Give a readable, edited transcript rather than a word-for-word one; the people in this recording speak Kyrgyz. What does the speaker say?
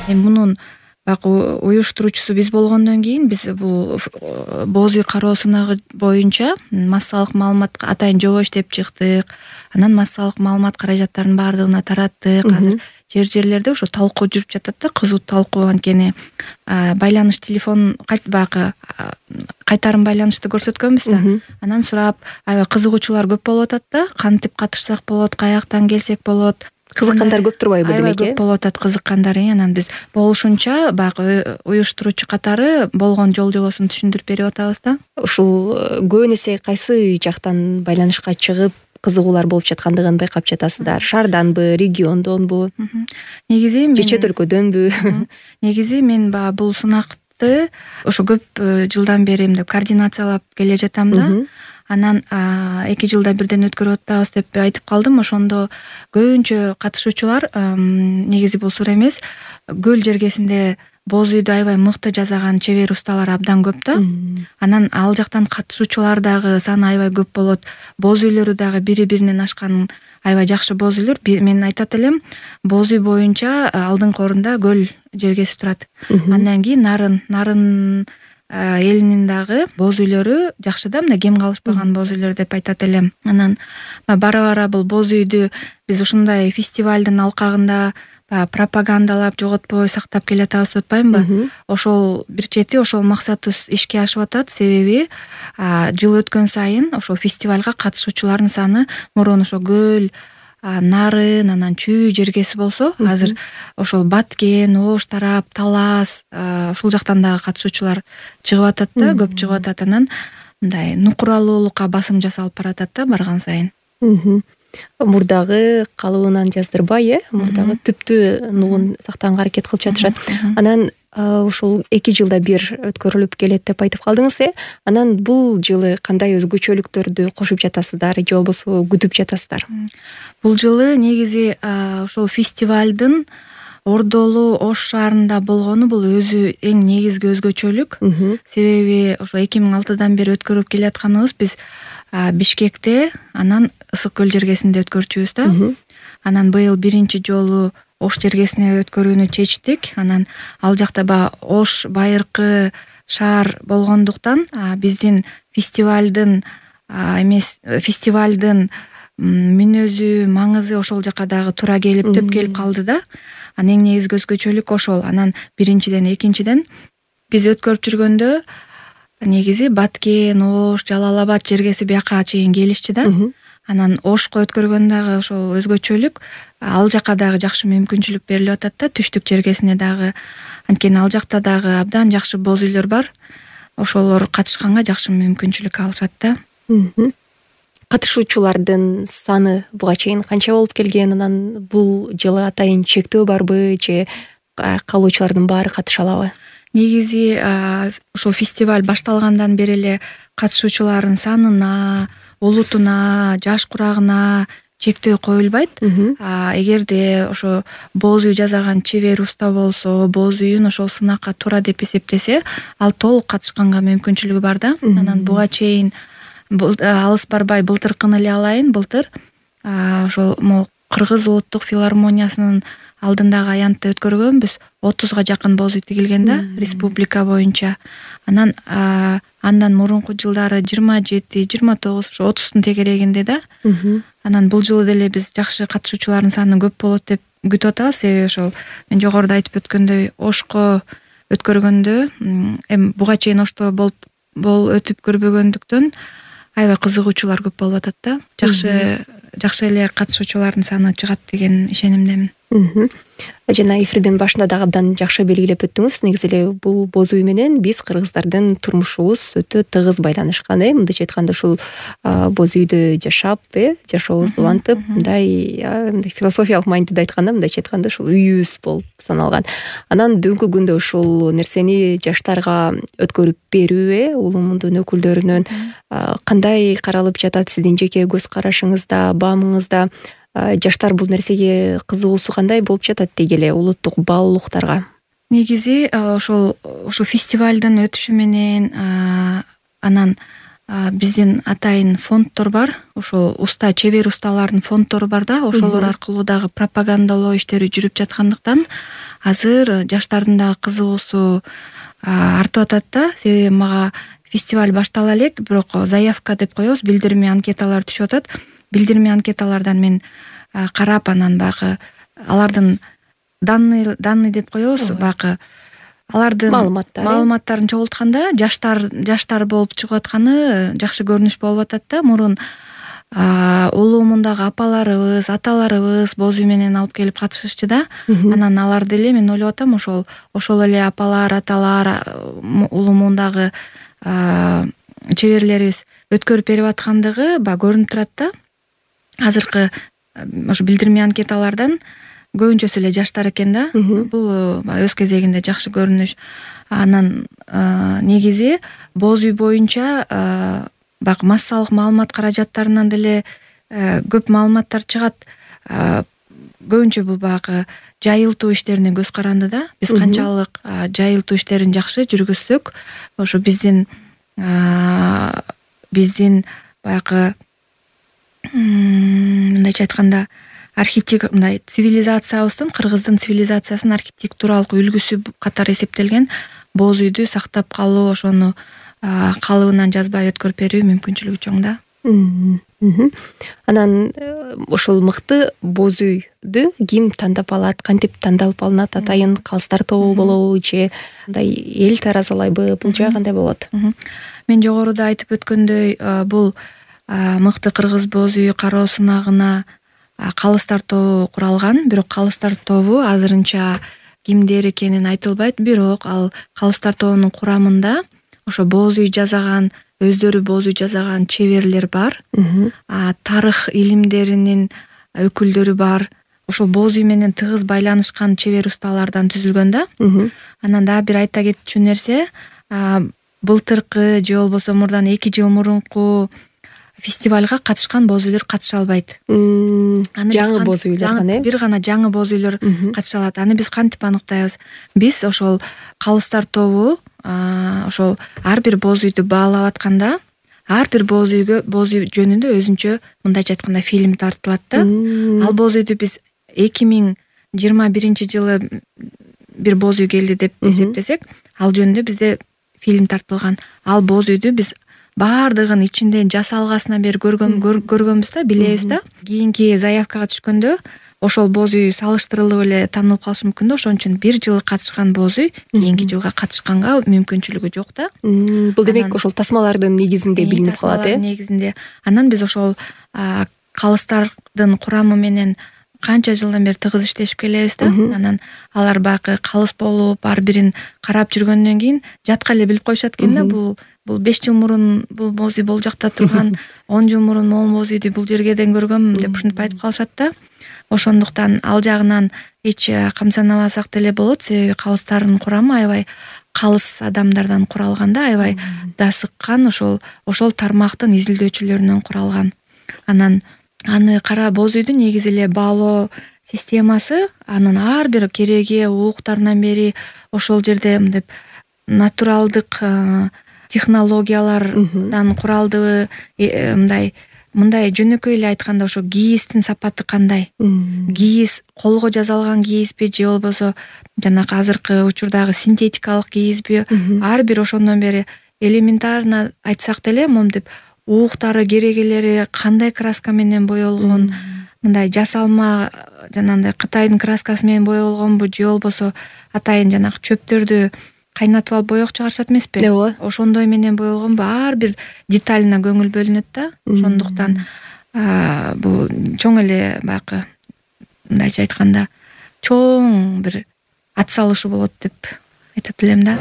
Эми мунун баягы уюштуруучусу биз болгондон кийин биз бул боз үй кароо сынагы боюнча массалык маалымат атайын жобо иштеп чыктык. Анан массалык маалымат каражаттарынын баардыгына тараттык. Азыр жерлерде ошо талкуу жүрүп жатат да, кызуу талкуу. Анткени байланыш телефон баягы кайтарым байланышты көрсөткөнбүз да. Анан сурап, аябай кызыгуучулар көп болуп атат да. Кантип катышсак болот, каяктан келсек болот. Кызыккандар көп турбайбы демек? Аябай көп болуп атат кызыккандар. Анан биз болушунча баягы уюштуруучу катары болгон жол жобосун түшүндүрүп берип атабыз да. Ушул көбүн эсе кайсы жактан байланышка чыгып кызыгуулар болуп жаткандыгын байкап жатасыздар? Шаарданбы, региондонбу? Негизи же чет өлкөдөнбү? Негизи мен баягы бул сынакты ошо көп жылдан бери мындай координациялап келе жатам да. Анан 2 жылда бирден өткөрүп атабыз деп айтып калдым. Ошондо көбүнчө катышуучулар негизи бул суура эмес. Көл жергесинде боз үйдү аябай мыкты жасаган чебер усталар абдан көп да. Анан ал жактан катышуучулар дагы саны аябай көп болот. Боз үйлөрү дагы бири-биринен ашкан аябай жакшы боз үйлөр. Мен айтат элем, боз үй боюнча алдыңкы орунда көл жергеси турат. Андан кийин нарын элинин дагы боз үйлөрү жакшы да, мына кем калышпаган боз үйлөр деп айтат элем. Анан бара-бара бул боз үйдү биз ушундай фестивалдын алкагында пропагандалап жоготпой сактап келатабыз деп атпаймынбы? Ошол бир чети ошол максатыбыз ишке ашып атат. Себеби жыл өткөн сайын ошол фестивалга катышуучулардын саны мурун ошо көл, нарын, анан чүй жергеси болсо, азыр ошол Баткен, Ош тарап, Талас ушул жактан дагы катышуучулар чыгып атат да, көп чыгып атат. Анан мындай нукуралуулукка басым жасалып баратат да барган сайын. Мурдагы калыбынан жаздырбай, мурдагы түптүү нугун сактаганга аракет кылып жатышат. Анан ушул 2 жылда бир өткөрүлүп келет деп айтып калдыңыз. Анан бул жылы кандай өзгөчөлүктөрдү кошуп жатасыздар же болбосо күтүп жатасыздар? Бул жылы негизи ошол фестивалдын Ордолу Ош шаарында болгону бул өзү эң негизги өзгөчөлүк. Себеби ошо 2006-дан бери өткөрүп келатканыбыз биз Бишкекте, анан Ысык көл жергесинде өткөрчүбүз да. Анан быйыл биринчи жолу Ош жергесине өткөрүүнү чечтик. Анан ал жакта Ош байыркы шаар болгондуктан биздин фестивалдын мүнөзү, маңызы ошол жака дагы туура келип, төп келип калды да. Анан эң негизги өзгөчөлүк ошол. Анан биринчиден, экинчиден биз өткөрүп жүргөндө негизи Баткен, Ош, Жалал Абад жергеси бияка чейин келишчи да. Анан Ошко өткөргөн дагы ошол өзгөчөлүк, ал жака дагы жакшы мүмкүнчүлүк берилип атат да, түштүк жергесине дагы. Анткени ал жакта дагы абдан жакшы боз үйлөр бар. Ошолор катышканга жакшы мүмкүнчүлүк алышат да. Катышуучулардын саны буга чейин канча болуп келген? Анан бул жылы атайын чектөө барбы же калуучулардын баары катыша алабы? Негизи ошол фестиваль башталгандан бери эле катышуучулардын санына, улутуна, жаш курагына чектөө коюлбайт. Эгерде ошо боз үй жасаган чебер уста болсо, боз үйүн ошол сынакка туура деп эсептесе, ал толук катышканга мүмкүнчүлүгү бар да. Анан буга чейин алыс барбай былтыркыны эле алайын. Былтыр ошол Кыргыз улуттук филармониясынын алдындагы аянтты өткөргөнбүз. 30га жакын боз үй тигилген да, республика боюнча. Анан андан мурунку жылдары 27, 29, 30тун тегерегинде да. Анан бул жылы деле биз жакшы катышуучулардын саны көп болот деп күтүп атабыз. Себеби ошол мен жогоруда айтып өткөндөй Ошко өткөргөндө эми буга чейин Ошто болуп өтүп көрбөгөндүктөн аябай кызыгуучулар көп болуп атат да. Жакшы эле катышуучулардын саны чыгат деген ишенимдемин. Жана эфирдин башында дагы абдан жакшы белгилеп өттүңүз. Негизи эле бул боз үй менен биз кыргыздардын турмушубуз өтө тыгыз байланышкан. Мындайча айтканда ушул боз үйдө жашап, жашообузду улантып, мындай философиялык маанидеде айтканда, мындайча айтканда ушул үйүбүз болуп саналган. Анан бүгүнкү күндө ушул нерсени жаштарга өткөрүп берүү, улуу мундун өкүлдөрүнөн кандай каралып жатат сиздин жеке көз карашыңызда, баамыңызда? Жаштар бул нерсеге кызыгуусу кандай болуп жатат дегеле улуттук баалуулуктарга? Негизи ошол фестивалдын өтүшү менен анан биздин атайын фонддор бар, ошол чебер усталардын фонддору бар да, ошолор аркылуу дагы пропагандалоо иштери жүрүп жаткандыктан азыр жаштардын дагы кызыгуусу артып атат да. Себеби мага фестиваль баштала элек, бирок заявка деп коебуз, билдирме анкеталар түшүп атат. Билдирме анкеталардан мен карап, анан баягы алардын данный деп коебуз, баягы алардын маалыматтарын чогултканда жаштар болуп чыгып атканы жакшы көрүнүш болуп атат да. Мурун улуумундагы апаларыбыз, аталарыбыз боз үй менен алып келип катышышчу да. Анан алар деле мен ойлоп атам, ошол эле апалар, аталар, улуумундагы чеберлерибиз өткөрүп берип аткандыгы баягы көрүнүп турат да. Азыркы ошо билдирме анкеталардан көбүнчөсү эле жаштар экен да. Бул өз кезегинде жакшы көрүнүш. Анан негизи боз үй боюнча баягы массалык маалымат каражаттарынан деле көп маалыматтар чыгат. Көбүнчө бул баягы жайылтуу иштерине көз каранды да. Биз канчалык жайылтуу иштерин жакшы жүргүзсөк, ошо биздин баягы мындайча айтканда мындай цивилизациябыздын, кыргыздын цивилизациясынын архитектуралык үлгүсү катары эсептелген боз үйдү сактап калуу, ошону калыбынан жазбай өткөрүп берүү мүмкүнчүлүгү чоң да. Анан ошол мыкты боз үйдү ким тандап алат, кантип тандалып алынат? Атайын калыстар тобу болобу же мындай эл таразалайбы? Бул жагы кандай болот? Мен жогоруда айтып өткөндөй, бул мыкты кыргыз боз үйү кароо сынагына калыстар тобу куралган. Бирок калыстар тобу азырынча кимдер экени айтылбайт. Бирок ал калыстар тобунун курамында ошо боз үй жасаган, өздөрү боз үй жасаган чеберлер бар. Тарых илимдеринин өкүлдөрү бар. Ошол боз үй менен тыгыз байланышкан чебер усталардан түзүлгөн да. Анан дагы бир айта кетчү нерсе, былтыркы же болбосо мурдан 2 жыл мурунку фестивалга катышкан боз үйлөр катыша албайт. Жаңы боз үйлөр гана, бир гана жаңы боз үйлөр катыша алат. Аны биз кантип аныктайбыз? Биз ошол калыстар тобу ошол ар бир боз үйдү баалап атканда, ар бир боз үй жөнүндө өзүнчө мындайча айтканда фильм тартылат да. Ал боз үйдү биз 2021 жылы бир боз үй келди деп эсептесек, ал жөнүндө бизде фильм тартылган. Ал боз үйдү биз баардыгын ичинде жасалгасынан бери көргөнбүз да, билебиз да. Кийинки заявкага түшкөндө ошол боз үй салыштырылып эле таанылып калышы мүмкүн да. Ошон үчүн бир жыл катышкан боз үй кийинки жылга катышканга мүмкүнчүлүгү жок да. Бул демек ошол тасмалардын негизинде билинип калат, негизинде. Анан биз ошол калыстардын курамы менен канча жылдан бери тыгыз иштешип келебиз да. Анан алар баягы калыс болуп, ар бирин карап жүргөндөн кийин жатка эле билип коюшат экен да. Бул 5 жыл мурун бул боз үй бул жакта турган, 10 жыл мурун могул боз үйдү бул жергеден көргөм деп ушинтип айтып калышат да. Ошондуктан ал жагынан эч камсанабасак деле болот. Себеби калыстардын курамы аябай калыс адамдардан куралган да, аябай дасыккан, ошол тармактын изилдөөчүлөрүнөн куралган. Анан аны кара боз үйдү негизи эле баалоо системасы, анын ар бир кереги ууктарынан бери ошол жерде мындай натуралдык технологиялардан куралдыбы, мындай жөнөкөй эле айтканда ошо кийиздин сапаты кандай? Кийиз колго жасалган кийизби же болбосо жанагы азыркы учурдагы синтетикалык кийизби? Ар бир ошондон бери элементарно айтсак деле, момтип ууктары, керегелери кандай краска менен боелгон, мындай жасалма жанагындай Кытайдын краскасы менен боелгонбу же болбосо атайын жанагы чөптөрдү кайнатып алып боек чыгарышат эмеспи? Ошондой менен боелгонбу? Ар бир деталына көңүл бөлүнөт да. Ошондуктан бул чоң эле баягы мындайча айтканда чоң бир ат салышуу болот деп айтат элем да.